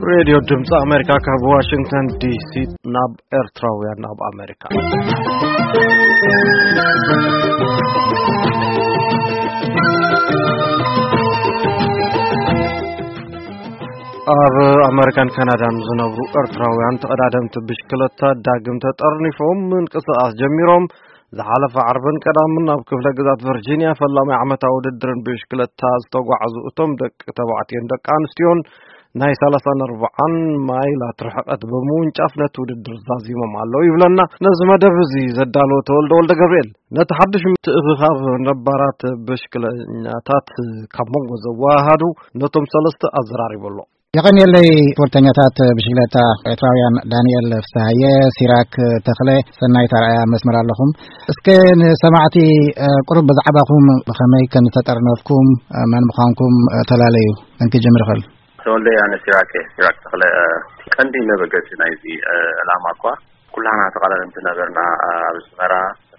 ሬድዮ ድምፂ ኣሜሪካ ካብ ዋሽንግተን ዲሲ ናብ ኤርትራውያን ኣብ ኣሜሪካ። ኣብ ኣሜሪካን ካናዳን ዝነብሩ ኤርትራውያን ተቐዳደምቲ ብሽክለታ ዳግም ተጠርኒፎም ምንቅስቓስ ጀሚሮም። ዝሓለፈ ዓርብን ቀዳምን ኣብ ክፍለ ግዛት ቨርጂኒያ ፈላማይ ዓመታዊ ውድድርን ብሽክለታ ዝተጓዕዙ እቶም ደቂ ተባዕትዮን ደቂ ኣንስትዮን ናይ ሰላሳን ኣርባዓን ማይላት ርሕቐት ብምውንጫፍ ነቲ ውድድር ዛዚሞም ኣለዉ ይብለና ነዚ መደብ እዚ ዘዳለወ ተወልደ ወልደ ገብርኤል። ነቲ ሓድሽ ምትእኽኻብ ነባራት ብሽክለኛታት ካብ መንጎ ዘወሃሃዱ ነቶም ሰለስተ ኣዘራሪቡ ኣሎ። የቐንየለይ። ስፖርተኛታት ብሽክለታ ኤርትራውያን ዳንኤል ፍስሃየ፣ ሲራክ ተኽለ፣ ሰናይት ኣርኣያ መስመር ኣለኹም። እስከ ንሰማዕቲ፣ እ፣ ቁሩብ ብዛዕባኹም፣ ብኸመይ ከም ዝተጠርነፍኩም፣ እ፣ መን ምዃንኩም፣ እ፣ ተላለዩ። እንክጅምር ይኽእል። ተወልደ፣ ኣነ ሲራክ፣ ሲራክ ተኽለ። እ፣ ቀንዲ መበገሲ ናይዚ፣ እ፣ ዕላማ እኳ ኩላና ተቓዳደምቲ ነበርና፣ እ፣ ኣብ ኣስመራ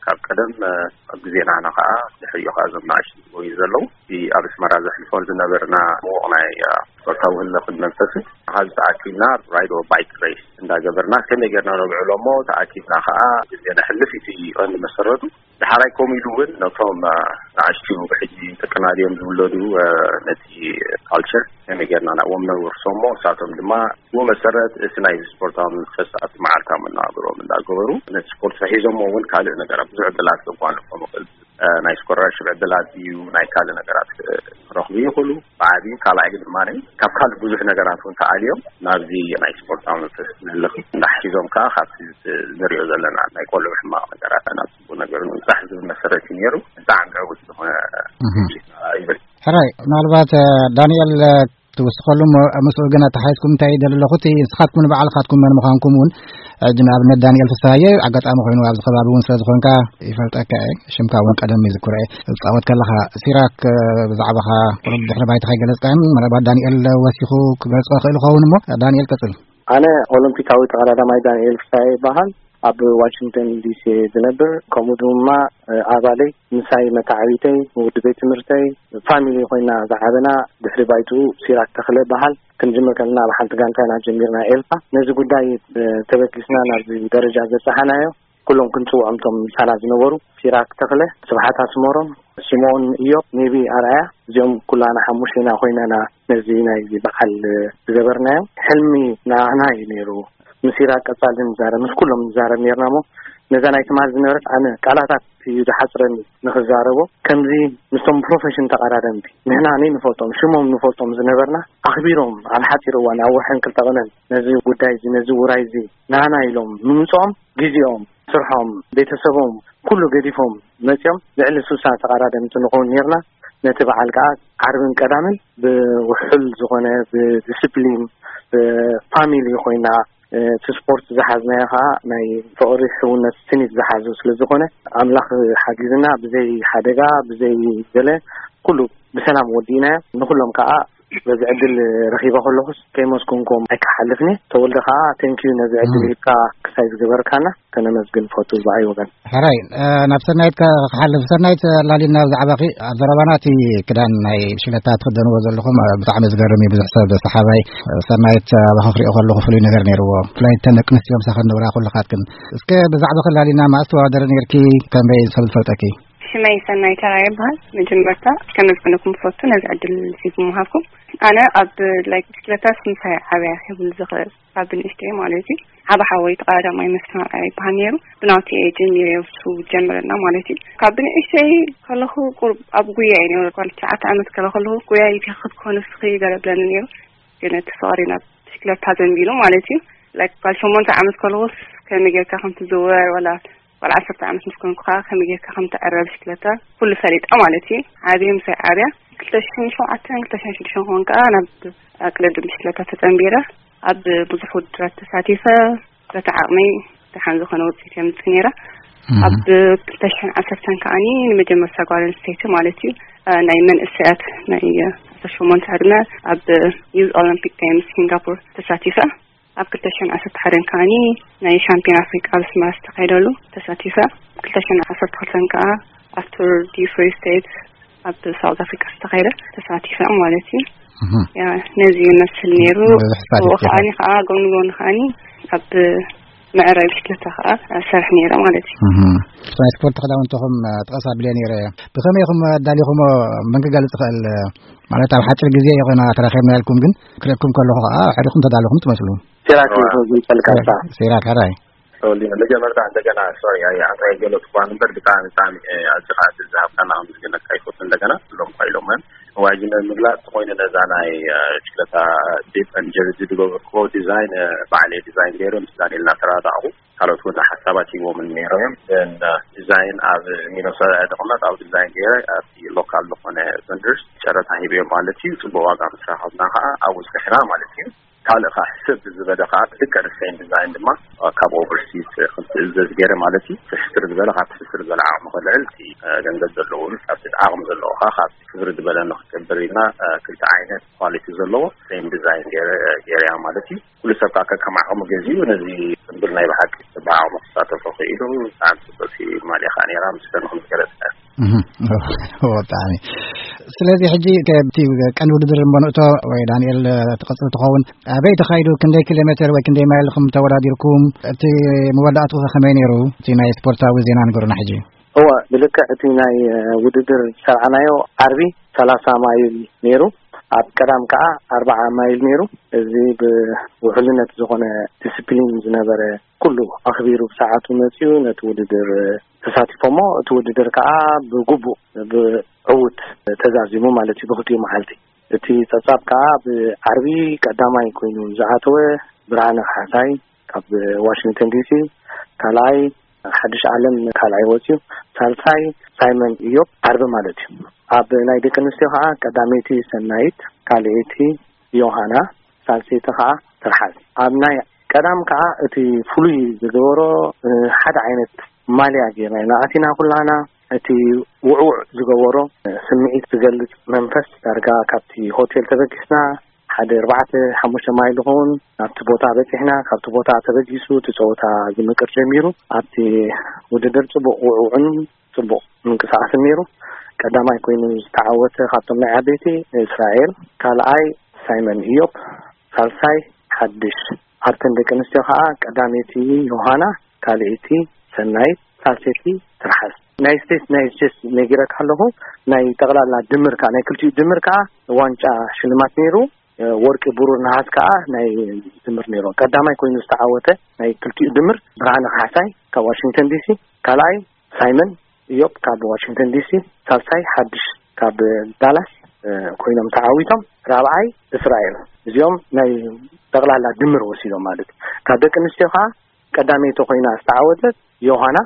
ካብ ቀደም፣ እ፣ ኣብ ግዜና፣ ንዓ ከኣ ድሕሪኡ ከኣ እዞም ንኣሽቱ ዝጎዩ ዘለዉ፣ እቲ ኣብ ኣስመራ ዘሕልፎ ዝነበርና ምዉቕ ናይ፣ እ፣ ስፖርታዊ ህልኽን መንፈስን፣ ኣብዚ ተኣኪብና ራይዶ ባይክ ሬስ እንዳገበርና፣ ከመይ ጌርና ነብዕሎ እሞ ተኣኪብና ከኣ ግዜ ነሕልፍ፣ እቲ ቀንዲ መሰረቱ። ደሓራይ ከምኡ ኢሉ እውን ነቶም፣ እ፣ ንኣሽቱ ሕጂ ጥቅና ድዮም ዝውለዱ፣ እ፣ ነቲ ካልቸር ከመይ ጌርና ናብኦም ነውርሶ እሞ፣ እሳቶም ድማ ብኡ መሰረት እቲ ናይ ስፖርታዊ መንፈስ ኣብቲ መዓልታዊ መነባብሮኦም እንዳገበሩ ነቲ ስፖርት ሒዞሞ እውን ካልእ ነገራት ብዙሕ ዕድላት ከጓንፎም ይኽእል። እ፣ ናይ ስኮላርሽፕ ዕድላት እዩ፣ ናይ ካልእ ነገራት፣ እ፣ ክረኽቡ ይኽእሉ። ብዓብዩ ካልኣይ ድማ ካብ ካልእ ብዙሕ ነገራት እውን ተኣልዮም ናብዚ ናይ ስፖርታዊ መንፈስ ዝህልኽ እንዳሕሲዞም ከዓ ካብቲ ንሪኦ ዘለና ናይ ቆልዑ ሕማቕ ነገራት ናብ ጽቡቕ ነገር ንምብጻሕ ዝብል መሰረት እዩ ነይሩ። ብጣዕሚ ዕዉት ዝኾነ እህ። ዝግጅት ይብል። ሕራይ፣ ምናልባት፣ እ፣ ዳንኤል፣ እ፣ ትውስኸሉ እሞ፣ ምስኡ ግን ኣተሓሒዝኩም እንታይ ይደሊ ኣለኹ፣ እቲ ንስኻትኩም ንባዕልኻትኩም መን ምዃንኩም እውን፣ ሕጂ ንኣብነት ዳንኤል ፍስሃየ ኣጋጣሚ ኮይኑ ኣብዚ ከባቢ እውን ስለ ዝኾንካ ይፈልጠካ እየ፣ ሽምካ እውን ቀደም ይዝክሮ እየ። ትጻወት ከለኻ ሲራክ፣ እ፣ ብዛዕባኻ ቁሩብ ድሕሪ ባይታ ከይገለጽካን፣ ምናልባት ዳንኤል ወሲኹ ክገልጾ ይኽእል ይኸውን እሞ፣ ዳንኤል ቀጽል። ኣነ ኦሎምፒካዊ ተቐዳዳማይ ዳንኤል ፍስሃየ ይበሃል። ኣብ ዋሽንግተን ዲሲ ዝነብር፣ ከምኡ ድማ፣ እ፣ ኣባለይ፣ ምሳይ መተዓቢተይ፣ ውዲ ቤት ትምህርተይ፣ ፋሚሊ ኮይና ዝዓበና። ድሕሪ ባይትኡ ሲራክ ተኽለ ይበሃል። ክንጅምር ከለና ኣብ ሓንቲ ጋንታ ኢና ጀሚርና ኤልፋ። ነዚ ጉዳይ፣ እ፣ ተበጊስና ናብዚ ደረጃ ዘብጽሓናዮ፣ ኩሎም ክንጽውዖም እቶም ምሳና ዝነበሩ፣ ሲራክ ተኽለ፣ ስብሓት ኣስመሮም፣ ሲሞን እዮብ፣ ኔቢ ኣርኣያ፣ እዚኦም ኩላና ሓሙሽቴና ኮይና ኢና ነዚ ናይዚ በዓል ዝገበርናዮ። ሕልሚ ንዓና እዩ ነይሩ። ምስ ኢራቅ ቀጻሊ ንዛረብ፣ ምስ ኩሎም ንዛረብ ኔርና እሞ፣ ነዛ ናይ ትማሊ ዝነበረት ኣነ ቃላታት እዩ ዝሓጽረኒ ንኽዛረቦ። ከምዚ ምስቶም ፕሮፌሽን ተቐዳደምቲ ንሕና ነይንፈልጦም፣ ሽሞም ንፈልጦም ዝነበርና፣ ኣኽቢሮም ኣብ ሓጺር እዋን፣ ኣብ ወርሕን ክልተ ቀነን ነዚ ጉዳይ እዚ፣ ነዚ ውራይ እዚ ንዓና ኢሎም ምምጽኦም፣ ግዜኦም፣ ስርሖም፣ ቤተሰቦም፣ ኩሉ ገዲፎም መጺኦም ልዕሊ ስሳ ተቐዳደምቲ ንኸውን ኔርና። ነቲ በዓል ከኣ ዓርብን ቀዳምን ብውሑል ዝኾነ ብዲስፕሊን፣ ብፋሚሊ ኮይና፣ እቲ ስፖርት ዝሓዝናዮ ከኣ ናይ ፍቕሪ ሕውነት ስኒት ዝሓዞ ስለ ዝኾነ፣ ኣምላኽ ሓጊዝና ብዘይ ሓደጋ፣ ብዘይ ገለ ኩሉ ብሰላም ወዲእናዮ። ንኹሎም ከኣ በዚ ዕድል ረኺበ ከለኹስ ከይመስገንኩም ኣይክሓልፍን እየ። ተወልደ ከኣ ቴንኪዩ ነዚ ዕድል ሂብካ ክሳይ ዝገበርካና። ከነመስግን ፈቱ ብኣይ ወገን። ሕራይ፣ እ፣ ናብ ሰናይት ከ-፣ ክሓልፍ። ሰናይት፣ ላሊና ብዛዕባኺ ኣብ ዘረባና እቲ ክዳን ናይ ሽለታ ትኽደንዎ ዘለኹም፣ እ፣ ብጣዕሚ ዝገርም እዩ። ብዙሕ ሰብ ሰሓባይ፣ እ፣ ሰናይት፣ እ፣ ኣባኺ ክሪኦ ከለኹ ፍሉይ ነገር ነይርዎ። ብፍላይ እተን ደቂ ኣንስትዮ ምሳኺ ዝነበራ ኩልኻትክን። እስከ ብዛዕባኺ ላሊና መኣስ ተወዳደሪ ነይርኪ? ከመይ ሰብ ዝፈልጠኪ? ሽመይ ሰናይት ተራየ ይበሃል። መጀመርታ ከመስግነኩም ፈቱ ነዚ ዕድል እዚ ብምሃብኩም። ኣነ ኣብ፣ ላይክ፣ ብሽክለታ ምስ ምሳይ ዓብያ ክብል ዝኽእል፣ ካብ ብንእሽተይ ማለት እዩ። ዓቢ ሓወይ ተቐዳዳማይ መስፍን ኣርኣያ ይበሃል ነይሩ። ብናቱ እየ ጀሚረ፣ እሱ ጀምረና ማለት እዩ። ካብ ብንእሽተይ ከለኹ ቁሩብ ኣብ ጉያ እየ ነይሩ። ጓል ትሽዓተ ዓመት ከለ ከለኹ፣ ጉያ ይትኽት ክኾን እስኺ ገለ ብለኒ ነይሩ። ግን እቲ ፍቕሪ ናብ ብሽክለታ ዘንቢሉ ማለት እዩ። ላይክ፣ ጓል ሸሞንተ ዓመት ከለኹስ ከመይ ጌርካ ከም ትዝውር፣ ዋላ ጓል ዓሰርተ ዓመት ምስ ኮንኩ ከኣ ከመይ ጌርካ ከም ትዕረ ብሽክለታ ኩሉ ፈሊጠ ማለት እዩ። ዓብየ ምሳይ ዓብያ ክልተ ሽሕን ሸውዓተን ክልተ ሽሕን ሽዱሽተን ክኾን ከኣ ናብ ኣቅልድም ብሽክለታ ተጸንቢረ። ኣብ ብዙሕ ውድድራት ተሳቲፈ፣ በቲ ዓቕመይ ደሓን ዝኾነ ውጽኢት የምጽእ ነይረ። እህ። ኣብ ክልተ ሽሕን ዓሰርተን ከኣኒ ንመጀመርታ ጓል ኣንስተይቲ ማለት እዩ፣ እ፣ ናይ መንእሰያት ናይ ዓሰርተ ሸሞንተ ዕድመ ኣብ ዩዝ ኦሎምፒክ ጌምስ ሲንጋፖር ተሳቲፈ። ኣብ ክልተ ሽሕን ዓሰርተ ሓደን ከኣኒ ናይ ሻምፒዮን ኣፍሪቃ ኣብ ኣስመራ ዝተኻየደሉ ተሳቲፈ። ክልተ ሽሕን ዓሰርተ ክልተን ከኣ ኣብ ቱር ዲ ፍሪ ስቴት ኣብ ሳውዝ ኣፍሪቃ ዝተኻየደ ተሳቲፈ ማለት እዩ። እህ። ያ፣ ነዚ ይመስል ነይሩ። ብዙሕ ታሪክ ኣብኡ ከዓኒ ይፈጥር። ከኣ ጎኒ ጎኒ ከዓኒ ኣብ መዕረቢ ሽክለታ ከኣ ሰርሕ ነይረ ማለት እዩ። እህ። ናይ ስፖርት ክዳውንትኹም፣ እ፣ ጥቐስ ኣቢለ ነይረ። ብኸመይ ኢኹም ኣዳሊኹሞ? መን ክገልጽ ይኽእል? ማለት ኣብ ሓጺር ግዜ ይኾና ተራኺብና ኢልኩም፣ ግን ክርእየኩም ከለኹ ከኣ ኣዕሪኹም ተዳለኹም ትመስሉ። ሴራክ እዋ። ዝገልጸልካ እባ። ሴራክ፣ ሕራይ። ተወሊነ መጀመርታ እንደገና፣ ሶሪ፣ ኣይ፣ ኣንታ የገለጽ እኳ እምበር፣ ብጣዕሚ፣ ብጣዕሚ፣ እ፣ ኣዝኻ ዕድል ዝሃብካና ከም ዝገለጽካ ይፈቱ እንደገና፣ ሎም እኳ ኢሎም፣ እዋጅ ንምግላጽ ተኾይኑ ነዛ ናይ፣ እ፣ ብሽክለታ ዲፕ ኤንድ ጀርዚ ዝገበርክዎ ዲዛይን፣ እ፣ ባዕለይ ዲዛይን ገይረ ምስ ዳንኤል እናተራዳእኹ፣ ካልኦት እውን ሓሳባት ሂቦምን ነይሮም እዮም። እን፣ እ፣ ዲዛይን ኣብ ሚነሶታ እየ ዝቕመጥ፣ ኣብ ዲዛይን ገይረ ኣብቲ ሎካል ዝኾነ ቨንደርስ ጨረታ ሂበዮም ማለት እዩ። ጽቡቕ ዋጋ ምስ ረኸብና ኸዓ ኣብኡ ጽኒሕና ማለት እዩ። ካልእ ኸዓ ሕስር ዝበለ ኸዓ ብልክዕ ሪሴም ዲዛይን ድማ ካብ ኦቨርሲስ ክትእዘዝ ገይረ ማለት እዩ። እቲ ሕስር ዝበለ ካብቲ ሕስር ዝበለ ዓቕሚ ከልዕል፣ እቲ፣ እ፣ ገንዘብ ዘለዎ ምስ ካብቲ ዓቕሚ ዘለዎ ኸዓ ካብ ክብር ዝበለ ንክገብር ኢልና፣ እ፣ ክልተ ዓይነት ኳሊቲ ዘለዎ ሪሴም ዲዛይን ገይረ፣ እ፣ ገይረያ ማለት እዩ። ኩሉ ሰብ ከዓ ከከም ዓቕሙ ገዚኡ ነዚ ጽምብል ናይ ብሓቂ ብዓቕሙ ክሳተፎ ክኢሉ ብጣዕሚ ጽብቕቲ ማልያ ኸዓ ነይራ፣ ምስጋናኹም ዝገለጽ እያ። እህ፣ ብጣዕሚ። ስለዚ ሕጂ ከብቲ ቀንዲ ውድድር እሞ ንእቶ ወይ ዳንኤል ትቐጽል ትኸውን፣ ኣበይ ተኻይዱ፣ ክንደይ ኪሎ ሜትር ወይ ክንደይ ማይል ኢኹም ተወዳዲርኩም? እቲ መወዳእትኡ ከ ከመይ ነይሩ? እቲ ናይ ስፖርታዊ ዜና ንገሩና ሕጂ። እወ፣ ብልክዕ እቲ ናይ፣ እ፣ ውድድር ዝሰርዓናዮ ዓርቢ ሰላሳ ማይል ነይሩ። ኣብ ቀዳም ከኣ ኣርብዓ ማይል ነይሩ። እዚ ብውሕልነት ዝኾነ ዲስፕሊን ዝነበረ፣ ኩሉ ኣኽቢሩ ብሰዓቱ መጺኡ ነቲ ውድድር ተሳቲፎሞ፣ እቲ ውድድር ከኣ ብግቡእ ብዕዉት ተዛዚሙ ማለት እዩ ብኽልቲኡ መዓልቲ። እቲ ጸብጻብ ከኣ ብዓርቢ ቀዳማይ ኮይኑ ዝኣተወ ብርሃነ ካሕሳይ ካብ ዋሽንግተን ዲሲ፣ ካልኣይ ሓድሽ ዓለም ካልኣይ ወጺኡ፣ ሳልሳይ ሳይመን ኢዮብ ዓርቢ ማለት እዩ። ኣብ ናይ ደቂ ኣንስትዮ ከኣ ቀዳመይቲ ሰናይት፣ ካልኣይቲ ዮሃና፣ ሳልሰይቲ ከኣ ትርሓስ። ኣብ ናይ ቀዳም ከኣ እቲ ፍሉይ ዝገበሮ፣ እ፣ ሓደ ዓይነት ማልያ ጌርና ኢና ኣቲና ኩላና። እቲ ውዕውዕ ዝገበሮ፣ እ፣ ስምዒት ዝገልጽ መንፈስ ዳርጋ ካብቲ ሆቴል ተበጊስና ሓደ ኣርባዕተ ሓሙሽተ ማይል ዝኸውን ናብቲ ቦታ በጺሕና። ካብቲ ቦታ ተበጊሱ እቲ ጸወታ ዝምቅር ጀሚሩ። ኣብቲ ውድድር ጽቡቕ ውዕውዕን ጽቡቕ ምንቅስቓስን ነይሩ። ቀዳማይ ኮይኑ ዝተዓወተ ካብቶም ናይ ዓበይቲ እስራኤል፣ ካልኣይ ሳይመን ኢዮብ፣ ሳልሳይ ሓድሽ። ኣብተን ደቂ ኣንስትዮ ከኣ ቀዳመይቲ ዮሃና፣ ካልኣይቲ ሰናይት፣ ሳልሰይቲ ትርሓስ። ናይ ስቴትስ፣ ናይ ስቴትስ ነጊረካ ኣለኹ። ናይ ጠቕላላ ድምር ከኣ፣ ናይ ክልቲኡ ድምር ከኣ ዋንጫ ሽልማት ነይሩ። ወርቂ፣ ብሩር፣ ነሃስ ከኣ ናይ ድምር ነይሩ። ቀዳማይ ኮይኑ ዝተዓወተ ናይ ክልቲኡ ድምር ብርሃነ ካሕሳይ ካብ ዋሽንግተን ዲሲ፣ ካልኣይ ሳይመን ኢዮብ ካብ ዋሽንግተን ዲሲ፣ ሳልሳይ ሓድሽ ካብ ዳላስ፣ እ፣ ኮይኖም ተዓዊቶም። ራብዓይ እስራኤል። እዚኦም ናይ ጠቕላላ ድምር ወሲዶም ማለት እዩ። ካብ ደቂ ኣንስትዮ ከኣ ቀዳመይቲ ኮይና ዝተዓወተት ዮሃና፣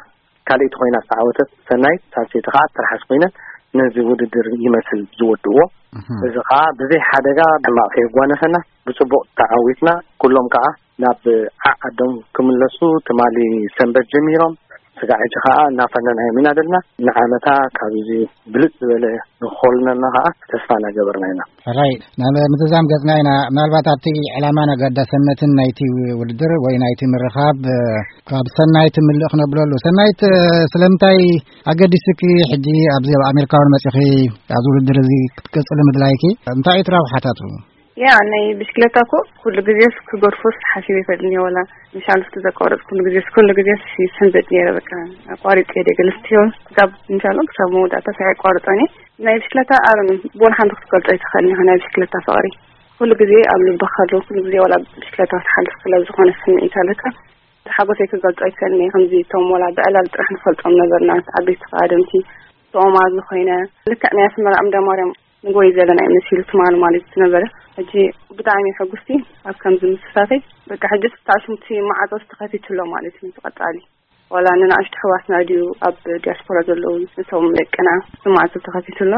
ካልኣይቲ ኮይና ዝተዓወተት ሰናይት፣ ሳልሰይቲ ከኣ ትርሓስ ኮይነን ነዚ ውድድር ይመስል ዝወድእዎ። እህ። እዚ ከኣ ብዘይ ሓደጋ ሕማቕ ከየጓነፈና ብጽቡቕ ተዓዊትና፣ ኩሎም ከኣ ናብ ዓዓዶም ክምለሱ ትማሊ ሰንበት ጀሚሮም፣ ስጋዕ ሕጂ ከኣ እናፈነናዮም ኢና ዘለና። ንዓመታ ካብዚ ብልጽ ዝበለ ንክኾልነና ከኣ ተስፋ እናገበርና ኢና። ሕራይ፣ ናብ ምዝዛም ገጽና ኢና። ምናልባት ኣብቲ ዕላማን ኣገዳስነትን ናይቲ ውድድር ወይ ናይቲ ምርኻብ፣ እ፣ ካብ ሰናይት ምልእ ክነብለሉ። ሰናይት፣ እ፣ ስለምንታይ ኣገዲስኪ ሕጂ ኣብዚ ኣብ ኣሜሪካውን መጺኺ ኣብዚ ውድድር እዚ ክትቅጽሊ ምድላይኪ? እንታይ እዩ እቲ ረብሓታቱ? ያ፣ ናይ ብሽክለታ እኮ ኩሉ ግዜስ ክገድፎስ ሓሲበ ኣይፈልጥን እየ። ዋላ ምሻል እስቲ ዘቋረጽ ኩሉ ግዜስ፣ ኩሉ ግዜስ ይስሕን ዘጥ ነይረ። በቃ ኣቋሪጽ እየ ደገ ልስትዮ ክሳብ፣ ምሻሎ ክሳብ መወዳእታ ሳይ ኣቋርጾን እየ። ናይ ብሽክለታ ኣረም ብወላ ሓንቲ ክትገልጾ ኣይትኽእልን ኢኻ፣ ናይ ብሽክለታ ፍቕሪ። ኩሉ ግዜ ኣብ ልብኻ ኣሎ፣ ኩሉ ግዜ ዋላ ብሽክለታ ክትሓልፍ ከላ ዝኾነ ስምዒት ኣለካ። ሓጎሰይ ክገልጾ ኣይክእልን እየ። ከምዚ እቶም ዋላ ብዕላል ጥራሕ ንፈልጦም ነበርና፣ ዓበይቲ ተቓደምቲ፣ ተኦማዝ ዝኾይነ፣ ልክዕ ናይ ኣስመራ እንዳ ማርያም ንጎይ ዘለና እዩ መሲሉ ትማሊ ማለት ዝነበረ። ሕጂ ብጣዕሚ ሕጉስቲ ኣብ ከምዚ ምስታፈይ። በቃ ሕጂ ስታሽንቲ ማዕጾ ተኸፊቱ ኣሎ ማለት እዩ። እቲ ቀጻሊ ዋላ ንንኣሽቱ ኣሕዋትና ድዩ ኣብ ዲያስፖራ ዘለዉ፣ እቶም ደቅና እቲ ማዕጾ ተኸፊቱ ኣሎ።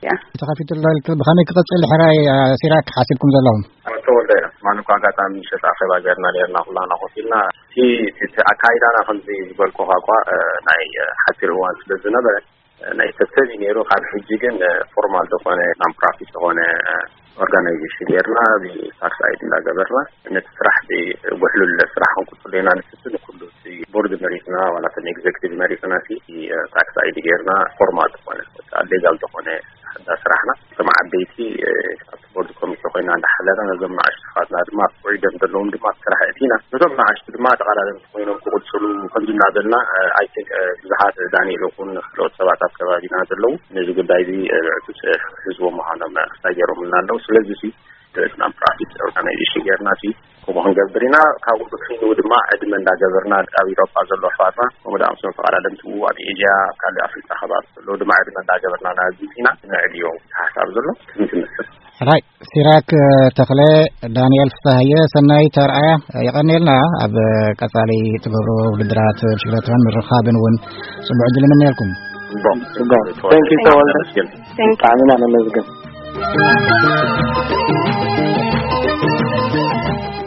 ያ። ተኸፊቱ ኣሎ ኢልክ ብኸመይ ክቕጽል ሕራይ፣ እ፣ ሲራክ ሓሲብኩም ዘለኹም? ኣብ ተወልደ ኢና። ትማሊ እኳ ኣጋጣሚ ምሸት ኣኼባ ገይርና ነይርና፣ ኩላና ኮፍ ኢልና። እቲ፣ እቲ፣ እቲ ኣካይዳና ከምዚ ዝበልኩኻ እኳ፣ እ፣ ናይ፣ እ፣ ሓጺር እዋን ስለ ዝነበረ፣ ናይ ሰብ ሰብ እዩ ነይሩ። ካብ ሕጂ ግን ፎርማል ዝኾነ፣ ናን ፕሮፊት ዝኾነ ኦርጋናይዜሽን ጌርና፣ ብታክስ ኣይዲ እንዳገበርና ነቲ ስራሕ ብውሕሉል ስራሕ ክንቅጽሎ ኢና ንፍትን። ኩሉ እቲ ቦርድ መሪጽና፣ ዋላ ከም ኤግዜክቲቭ መሪጽና፣ እቲ ታክስ ኣይዲ ጌርና ፎርማል ዝኾነ፣ ሌጋል ዝኾነ እንዳ ስራሕና፣ ከም ዓበይቲ ኣብቲ ቦርድ ኮሚቴ ኮይና እንዳሓለና፣ ነዞም ንኣሽቱ ኣሕዋትና ድማ ውዒዶም ዘለዎም ድማ ኣብ ስራሕ እቲና፣ ነቶም ንኣሽቱ ድማ ተቐዳደምቲ ኮይኖም ክቕፅሉ ከምዚ እንዳበልና፣ I think ብዙሓት፣ ዳንኤል ይኹን ካልኦት ሰባት ኣብ ከባቢና ዘለዉ ነዚ ጉዳይ እዚ ብዕቱብ ክሕዝዎ ምዃኖም ክሳገሮምልና ኣለዉ። ስለዚ ሲ ናን ፕሮፊት ኦርጋናይዜሽን ጌርና ሲ ከምኡ ክንገብር ኢና። ካብኡ ብክንኡ ድማ ዕድመ እንዳገበርና ኣብ ኢሮጳ ዘሎ ኣሕዋትና፣ ከምኡ ደኣ ምስ ተቐዳደምቲ ኣብ ኤዥያ፣ ኣብ ካልእ ኣፍሪቃ ከባቢ ዘለዉ ድማ ዕድመ እንዳገበርና ናዚ ኢና ንዕድዮም። ሓሳብ ዘሎ ከምዚ ትመስል። ሕራይ፣ ሲራክ ተኽለ፣ ዳንኤል ፍስሃየ፣ ሰናይ ተርኣያ፣ የቐንየልና። ኣብ ቀጻሊ ትገብሮ ውድድራት ብሽክለታን ምርኻብን እውን ጽቡዕ ዕድል ንምንየልኩም። ጽቡቕ። ጽቡቕ። Thank you፣ ተወልደ። ተመስገን። Thank you። ብጣዕሚ ኢና ነመስግን።